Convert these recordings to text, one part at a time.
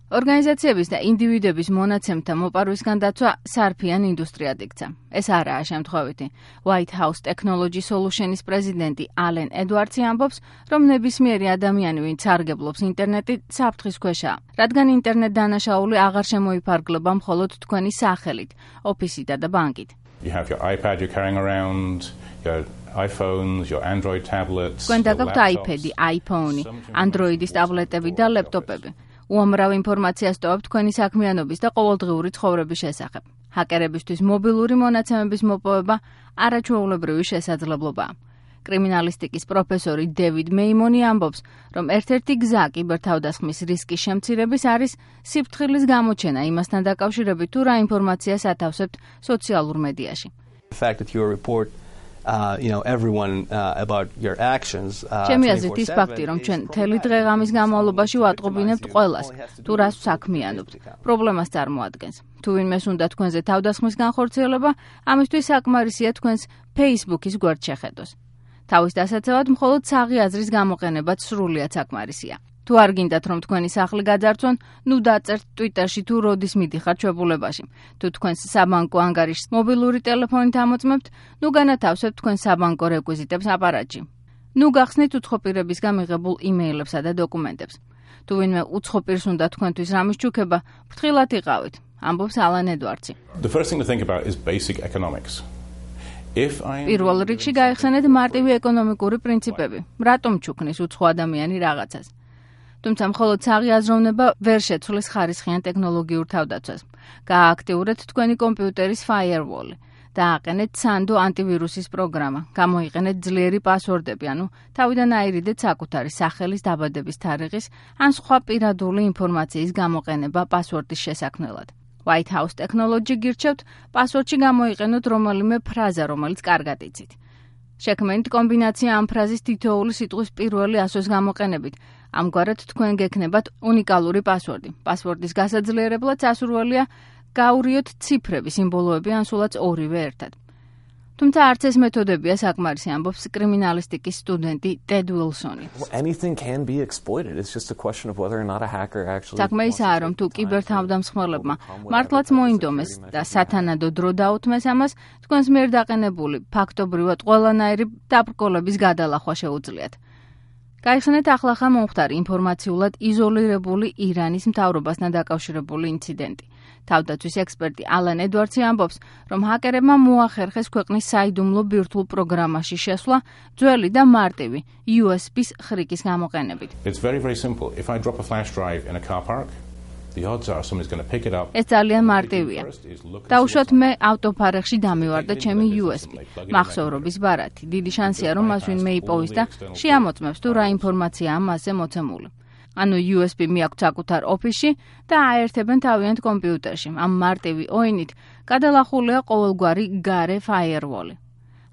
ორგანიზაციების და ინდივიდების მონაცემთა მოპარვისგან დაცვა სარფიან ინდუსტრიად იქცა. ეს არაა შემთხვევითი. White House Technology Solutions პრეზიდენტი ალენ ედვარდსი ამბობს, რომ ნებისმიერი ადამიანი, ვინც სარგებლობს ინტერნეტით, საფრთხის ქვეშაა, რადგან ინტერნეტ დანაშაული აღარ შემოიფარგლება მხოლოდ თქვენი სახელით, ოფისითა და ბანკით. You have your iPad you're carrying around, your iPhones, your Android tablets. თქვენ დაგაქვთ iPad-ი, iPhone-ი, Android-ის ტაბლეტები და ლეპტოპები. უამრავ ინფორმაციას ტოვებთ თქვენი საქმიანობის და ყოველდღიური ცხოვრების შესახებ. ჰაკერებისთვის მობილური მონაცემების მოპოვება არაჩვეულებრივი შესაძლებლობაა. კრიმინალისტიკის პროფესორი დევიდ მეიმონი ამბობს, რომ ერთ-ერთი გზა კიბერთავდასხმის რისკის შემცირების არის სიფრთხილის გამოჩენა იმასთან დაკავშირებით, თუ რა ინფორმაციას ათავსებთ სოციალურ მედიაში. ჩემი აზრით ის ფაქტი, რომ ჩვენ მთელი დღე-ღამის განმავლობაში ვატყობინებთ ყველას, თუ რას საქმიანობთ, პრობლემას წარმოადგენს. თუ ვინმეს უნდა თქვენზე თავდასხმის განხორციელება, ამისთვის საკმარისია თქვენს Facebook-ის გვერდს შეხედოს. თავის დასაცავად მხოლოდ საღი აზრის გამოყენებაც სრულიად საკმარისია. თუ არ გინდათ, რომ თქვენი სახლი გაძარცვონ, ნუ დაწერთ Twitter-ში თუ როდის მიდიხართ ჩვეულებაში. თუ თქვენს საბანკო ანგარიშს მობილური ტელეფონით ამოწმებთ, ნუ განათავსებთ თქვენს საბანკო რეკვიზიტებს აპარატში. ნუ გახსნით უცხოპირებისგან მიღებულ იმეილებსა და დოკუმენტებს. თუ ვინმე უცხოპირს უნდა თქვენთვის რამის ჩუქება, ფრთხილად იყავით, ამბობს ალენ ედვარდსი. The first thing to think about is basic economics. პირველ რიგში გაიხსენეთ მარტივი ეკონომიკური პრინციპები. რატომ ჩუქნის უცხო ადამიანი რაღაცას? თუმცა მხოლოდ საღი აზროვნება ვერ შეცვლის ხარისხიან ტექნოლოგიურ თავდაცვას. გაააქტიურეთ თქვენი კომპიუტერის firewall-ი. დააყენეთ სანდო ანტივირუსის პროგრამა. გამოიყენეთ ძლიერი პასვორდები, ანუ თავიდან აირიდეთ საკუთარი სახელის, დაბადების თარიღის ან სხვა პირადული ინფორმაციის გამოყენება პასვორდის შესაქმნელად. White House Technology გირჩევთ, პასვორდში გამოიყენოთ რომელიმე ფრაზა, რომელიც კარგად იცით. შექმნით კომბინაცია ამ ფრაზის თითოეული სიტყვის პირველი ასოს გამოყენებით. ამგვარად თქვენ გექნებათ უნიკალური პასვორდი. პასვორდის გასაძლიერებლად სასურველია გაურიოთ ციფრები, სიმბოლოები ან სულაც ორივე ერთად. თუმცა არც ეს მეთოდებია საკმარისი, ამბობს კრიმინალისტიკის სტუდენტი ტედ უილსონი. საქმე ისაა, რომ თუ კიბერთავდამსხმელებმა მართლაც მოინდომეს და სათანადო დრო დაუთმეს ამას, თქვენს მიერ დაყენებული ფაქტობრივად ყველანაირი დაბრკოლების გადალახვა შეუძლიათ. გაიხსენეთ ახლახან მომხდარი ინფორმაციულად იზოლირებული ირანის მთავრობასთან დაკავშირებული ინციდენტი. თავდაცვის ექსპერტი ალენ ედვარდსი ამბობს, რომ ჰაკერებმა მოახერხეს ქვეყნის საიდუმლო ბირთვულ პროგრამაში შესვლა ძველი და მარტივი USB-ის ხრიკის გამოყენებით. ეს ძალიან მარტივია. დაუშვათ მე ავტოფარეხში დამივარ და ჩემი USB, მახსოვრობის ბარათი. დიდი შანსია, რომ მას ვინმე იპოვის და შეამოწმებს თუ რა ინფორმაციაა მასზე მოცემული. ანუ USB მიაქვთ საკუთარ ოფისში და აერთებენ თავიანთ კომპიუტერში. ამ მარტივი ოინით გადალახულია ყოველგვარი გარე firewall-ი.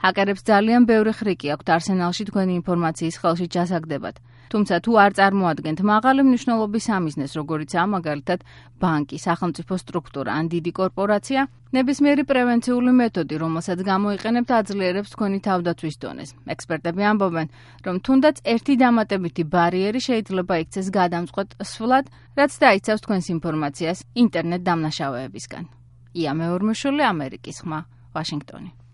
ჰაკერებს ძალიან ბევრი ხრიკი აქვთ არსენალში თქვენი ინფორმაციის ხელში ჩასაგდებად. თუმცა თუ არ წარმოადგენთ მაღალი მნიშვნელობის სამიზნეს, როგორიცაა მაგალითად ბანკი, სახელმწიფო სტრუქტურა ან დიდი კორპორაცია, ნებისმიერი პრევენციული მეთოდი, რომელსაც გამოიყენებთ, აძლიერებს თქვენი თავდაცვის დონეს. ექსპერტები ამბობენ, რომ თუნდაც ერთი დამატებითი ბარიერი შეიძლება იქცეს გადამწყვეტ სვლად, რაც დაიცავს თქვენს ინფორმაციას ინტერნეტ დამნაშავეებისგან. ია მეორმოშვილი, ამერიკის ხმა, ვაშინგტონი.